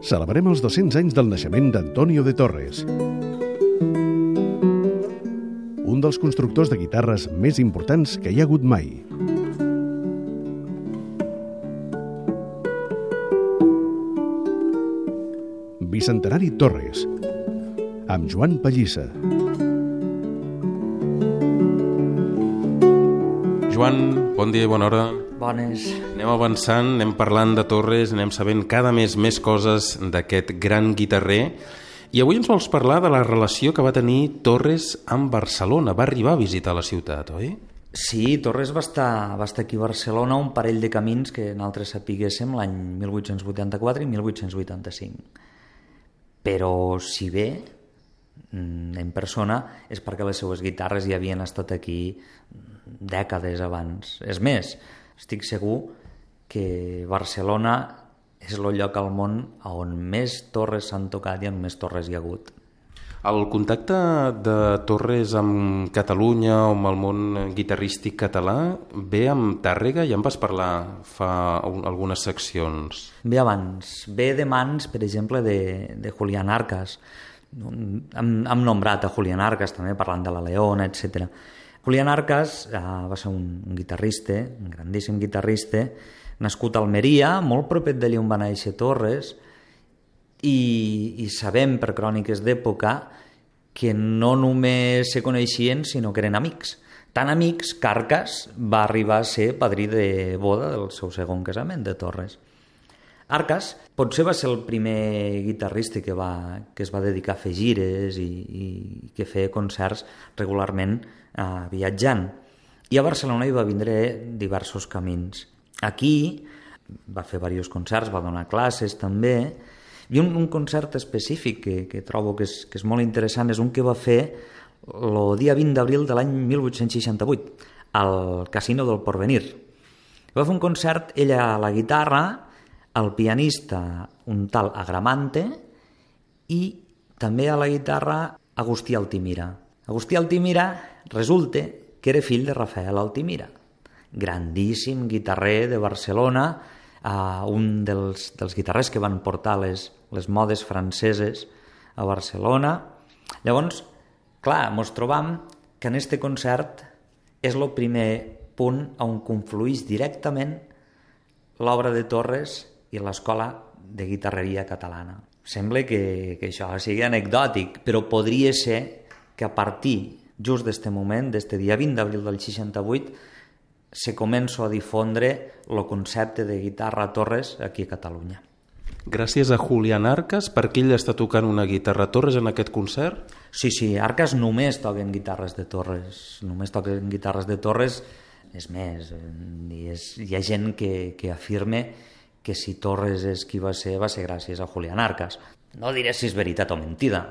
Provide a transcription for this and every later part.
celebrem els 200 anys del naixement d'Antonio de Torres, un dels constructors de guitarres més importants que hi ha hagut mai. Bicentenari Torres, amb Joan Pallissa. Joan, bon dia i bona hora. Bones. Anem avançant, anem parlant de Torres, anem sabent cada mes més coses d'aquest gran guitarrer. I avui ens vols parlar de la relació que va tenir Torres amb Barcelona. Va arribar a visitar la ciutat, oi? Sí, Torres va estar aquí a Barcelona un parell de camins que nosaltres sapiguéssim l'any 1884 i 1885. Però si bé en persona és perquè les seues guitarres ja havien estat aquí dècades abans. És més, estic segur que Barcelona és el lloc al món on més torres s'han tocat i on més torres hi ha hagut. El contacte de Torres amb Catalunya o amb el món guitarrístic català ve amb Tàrrega, ja en vas parlar fa algunes seccions. Ve abans, ve de mans, per exemple, de Julián Arcas. Hem nombrat a Julián Arcas també, parlant de la Leona, etc. Julián Arcas va ser un guitarrista, un grandíssim guitarrista, nascut a Almeria, molt propet d'allà on va néixer Torres, i sabem per cròniques d'època que no només se coneixien, sinó que eren amics. Tan amics que Arcas va arribar a ser padrí de boda del seu segon casament, de Torres. Arcas potser va ser el primer guitarrista que es va dedicar a fer gires i que feia concerts regularment viatjant. I a Barcelona hi va vindre diversos camins. Aquí va fer diversos concerts, va donar classes també, i un concert específic que trobo que és molt interessant és un que va fer el dia 20 d'abril de l'any 1868 al Casino del Porvenir. Va fer un concert, ella a la guitarra, el pianista un tal Agramante i també a la guitarra Agustí Altimira. Agustí Altimira resulta que era fill de Rafael Altimira, grandíssim guitarrer de Barcelona, un dels guitarrers que van portar les modes franceses a Barcelona. Llavors, clar, ens trobam que en este concert és el primer punt on confluïx directament l'obra de Torres i l'escola de guitarreria catalana. Sembla que això sigui anecdòtic, però podria ser que a partir just d'este moment, d'este dia 20 d'abril del 68, se comença a difondre el concepte de guitarra Torres aquí a Catalunya. Gràcies a Julián Arcas, perquè ell està tocant una guitarra Torres en aquest concert? Sí, Arcas només toquen guitarres de Torres. Només toquen guitarres de Torres. És més, hi ha gent que afirma que si Torres és qui va ser gràcies a Julián Arcas. No diré si és veritat o mentida,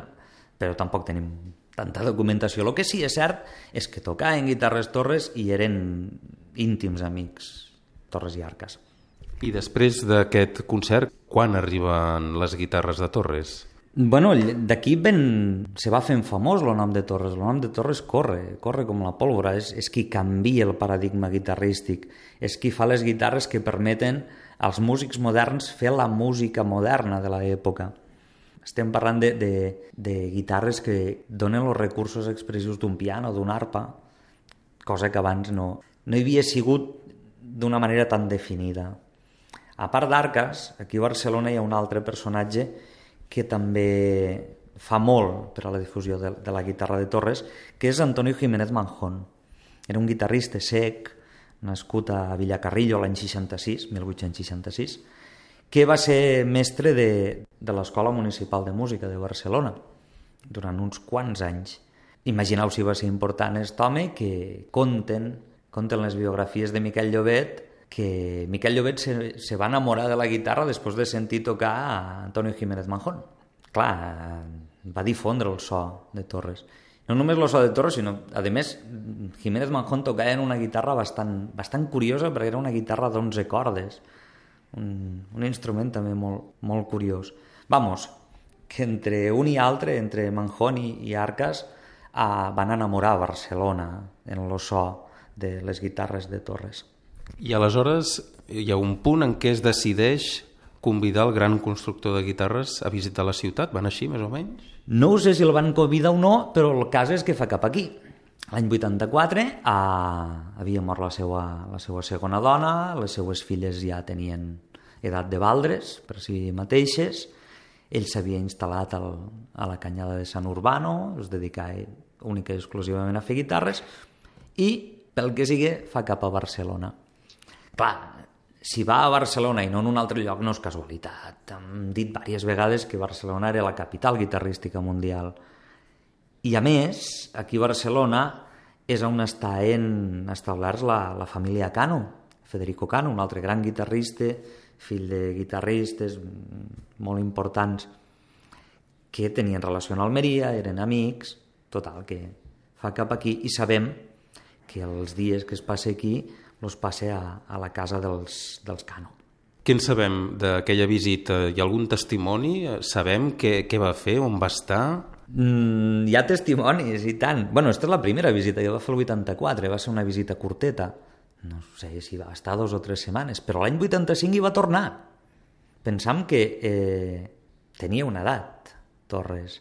però tampoc tenim tanta documentació. El que sí és cert és que tocaven guitarres Torres i eren íntims amics, Torres i Arcas. I després d'aquest concert, quan arriben les guitarres de Torres? Bueno, d'aquí se va fent famós el nom de Torres. El nom de Torres corre com la pólvora. És qui canvia el paradigma guitarrístic. És qui fa les guitarres que permeten als músics moderns fer la música moderna de l'època. Estem parlant de guitarres que donen els recursos expressius d'un piano, d'una arpa, cosa que abans no hi havia sigut d'una manera tan definida. A part d'Arcas, aquí a Barcelona hi ha un altre personatge que també fa molt per a la difusió de la guitarra de Torres, que és Antonio Jiménez Manjón. Era un guitarrista cec, nascut a Villacarrillo l'any 1866, que va ser mestre de l'Escola Municipal de Música de Barcelona durant uns quants anys. Imagineu si va ser important aquest home, que conten les biografies de Miquel Llobet, que Miquel Llobet se va enamorar de la guitarra després de sentir tocar a Antonio Jiménez Manjón. Clar, va difondre el so de Torres. No només el so de Torres, sinó, a més, Jiménez Manjón tocava en una guitarra bastant curiosa, perquè era una guitarra d'11 cordes, un instrument també molt curiós. Vamos, que entre un i altre, entre Manjón i Arcas, van enamorar Barcelona en el so de les guitarres de Torres. I aleshores hi ha un punt en què es decideix convidar el gran constructor de guitarres a visitar la ciutat? Van així, més o menys? No ho sé si el van convidar o no, però el cas és que fa cap aquí. L'any 84 havia mort la seva segona dona, les seues filles ja tenien edat de valdres per si mateixes, ell s'havia instal·lat a la Canyada de Sant Urbano, es dedicava única i exclusivament a fer guitarres, i pel que sigui fa cap a Barcelona. Clar, si va a Barcelona i no en un altre lloc no és casualitat. Hem dit diverses vegades que Barcelona era la capital guitarrística mundial. I a més, aquí a Barcelona és on està establerts la família Cano, Federico Cano, un altre gran guitarrista, fill de guitarristes molt importants que tenien relació amb Almeria, eren amics, total, que fa cap aquí i sabem que els dies que es passa aquí els passa a la casa dels Cano. Què en sabem d'aquella visita? Hi ha algun testimoni? Sabem què va fer, on va estar? Hi ha testimonis i tant. Bueno, esta és la primera visita, jo va fer el 84, va ser una visita curteta. No sé si va estar 2 o 3 setmanes, però l'any 85 hi va tornar. Pensam que tenia una edat, Torres.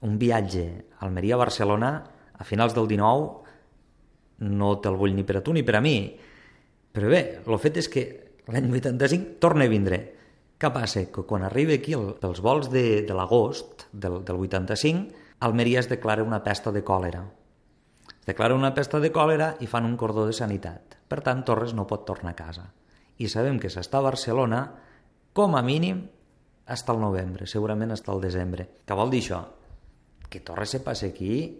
Un viatge a Almeria-Barcelona a finals del 19 no te'l vull ni per a tu ni per a mi. Però bé, el fet és que l'any 85 torna a vindre. Què passa? Que quan arriba aquí pels vols de l'agost del 85, Almeria es declara una pesta de còlera. Es declara una pesta de còlera i fan un cordó de sanitat. Per tant, Torres no pot tornar a casa. I sabem que s'està a Barcelona, com a mínim, fins al novembre, segurament fins al desembre. Què vol dir això? Que Torres se passa aquí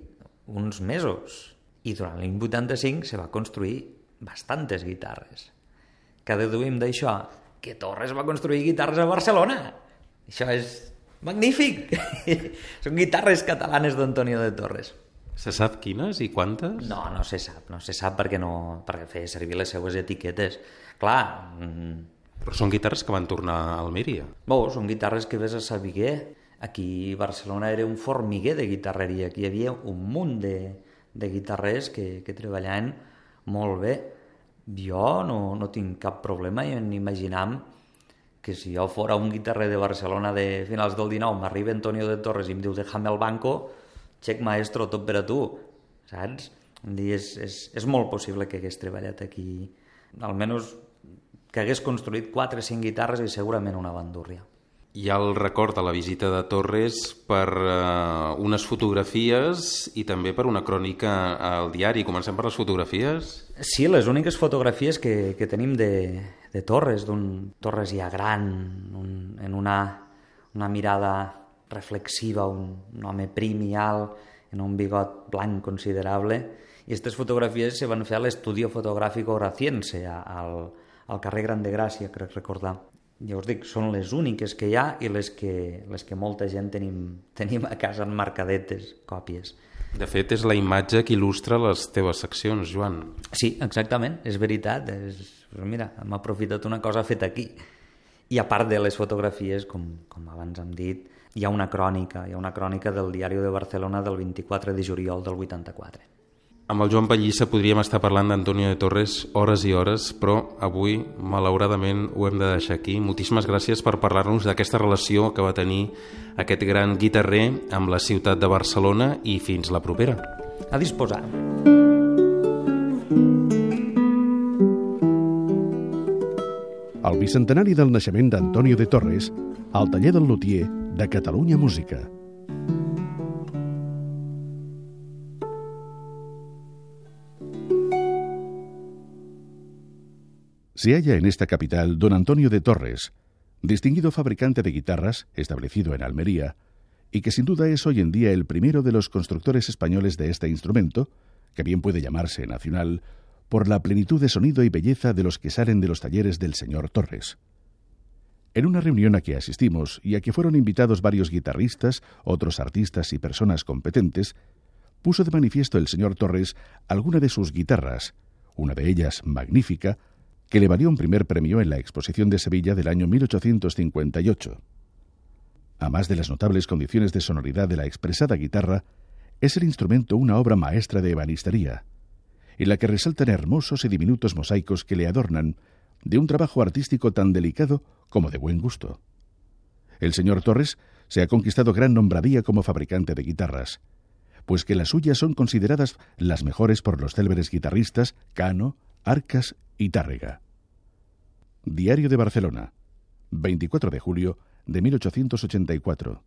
uns mesos. I durant l'any 85 se va construir bastantes guitarres. Què deduïm d'això? Que Torres va construir guitarres a Barcelona. Això és magnífic. Són guitarres catalanes d'Antonio de Torres. Se sap quines i quantes? No se sap perquè feia servir les seues etiquetes. Clar... Però són guitarres que van tornar a Almeria. Són guitarres que ves a saber. Aquí a Barcelona era un formiguer de guitarreria. Aquí hi havia un munt de guitarrers que treballaven molt bé. Jo no tinc cap problema en imaginar que si jo fora un guitarrer de Barcelona de finals del 19 m'arriba Antonio de Torres i em diu déjame al banco, xec maestro, tot per a tu, saps? És molt possible que hagués treballat aquí, almenys que hagués construït 4 o 5 guitarres i segurament una bandúrria. Hi ha el record de la visita de Torres per unes fotografies i també per una crònica al diari. Comencem per les fotografies? Sí, les úniques fotografies que tenim de Torres, d'un Torres ja gran, en una mirada reflexiva, un home prim i alt, en un bigot blanc considerable. I aquestes fotografies se van fer a l'Estudio Fotográfico Horaciense, al carrer Gran de Gràcia, crec recordar. Ja us dic, són les úniques que hi ha i les que molta gent tenim a casa enmarcadetes, còpies. De fet, és la imatge que il·lustra les teves seccions, Joan. Sí, exactament, és veritat. Mira, hem aprofitat una cosa feta aquí. I a part de les fotografies, com abans hem dit, hi ha una crònica del Diari de Barcelona del 24 de juliol del 84. Amb el Joan Pallissa podríem estar parlant d'Antonio de Torres hores i hores, però avui, malauradament, ho hem de deixar aquí. Moltíssimes gràcies per parlar-nos d'aquesta relació que va tenir aquest gran guitarrer amb la ciutat de Barcelona i fins la propera. A disposar. El bicentenari del naixement d'Antonio de Torres al taller del lutier de Catalunya Música. Se halla en esta capital don Antonio de Torres, distinguido fabricante de guitarras, establecido en Almería, y que sin duda es hoy en día el primero de los constructores españoles de este instrumento, que bien puede llamarse nacional, por la plenitud de sonido y belleza de los que salen de los talleres del señor Torres. En una reunión a que asistimos y a que fueron invitados varios guitarristas, otros artistas y personas competentes, puso de manifiesto el señor Torres alguna de sus guitarras, una de ellas magnífica, que le valió un primer premio en la Exposición de Sevilla del año 1858. A más de las notables condiciones de sonoridad de la expresada guitarra, es el instrumento una obra maestra de ebanistería, en la que resaltan hermosos y diminutos mosaicos que le adornan de un trabajo artístico tan delicado como de buen gusto. El señor Torres se ha conquistado gran nombradía como fabricante de guitarras, pues que las suyas son consideradas las mejores por los célebres guitarristas Cano, Arcas y Tárrega. Diario de Barcelona, 24 de julio de 1884.